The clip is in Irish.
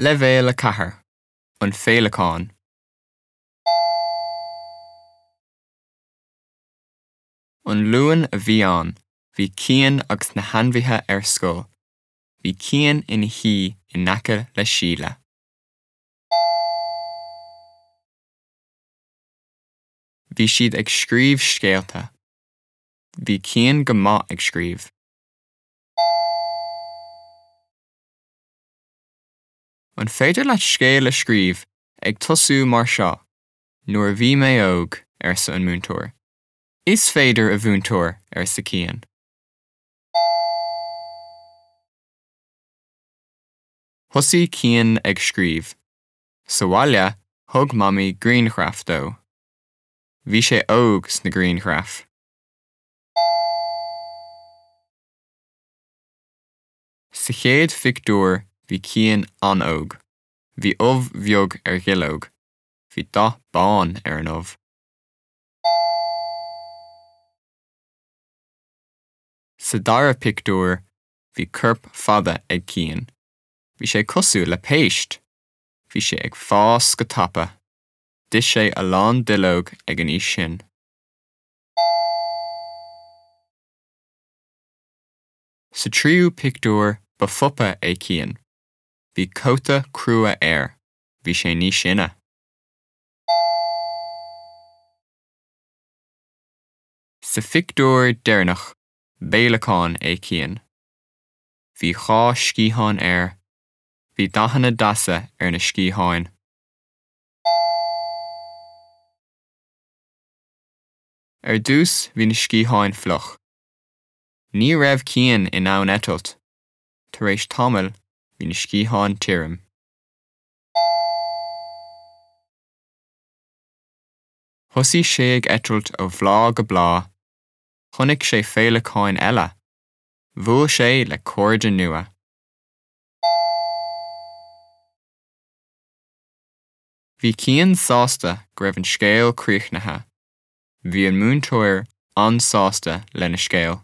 Leibhéal 4, An Féileacán. An Luan a bhí ann, bhí Cian agus na hainmhithe ar scoil. Bhí Cian ina shuí in aice le Síle. Bhí siad ag scríobh scéalta. Bhí Cian go maith ag scríobh. An féidir leat scéal a scríobh ag tosú mar seo, 'Nuair a bhí mé óg', arsa an múinteoir. 'Is féidir, a mhúinteoir, arsa Cian. Thosaigh Cian ag scríobh. Sa bhaile, thug Mamaí grianghraf dó. Bhí sé óg sna grianghraif. Sa chéad phictiúr bhí Cian an-óg. Bhí ubh bheag ar dhuilleog. Bhí dath bán ar an ubh. Sa dara pictiúr bhí corp fada ag Cian. Bhí sé cosúil le péist! Bhí sé ag fás go tapa. D'ith sé a lán duilleog ag an aois sin. Sa tríú pictiúr ba phupa é Cian. Bhí cóta crua air. Bhí sé níos sine. Sa phictiúr deireanach b'fhéileacán é Cian. Bhí dhá sciathán air. Bhí dathanna deasa ar na sciatháin. Ar dtús bhí na sciatháin fliuch. Ní raibh Cian in ann eitilt. Tar éis tamaill, bhí na sciatháin tirim. Thosaigh sé ag eitilt ó bhláth go bláth. Chonaic sé féileacáin eile. Bhuail sé le cairde nua. Bhí Cian sásta go raibh an scéal críochnaithe. Bhí an múinteoir an-sásta lena scéal.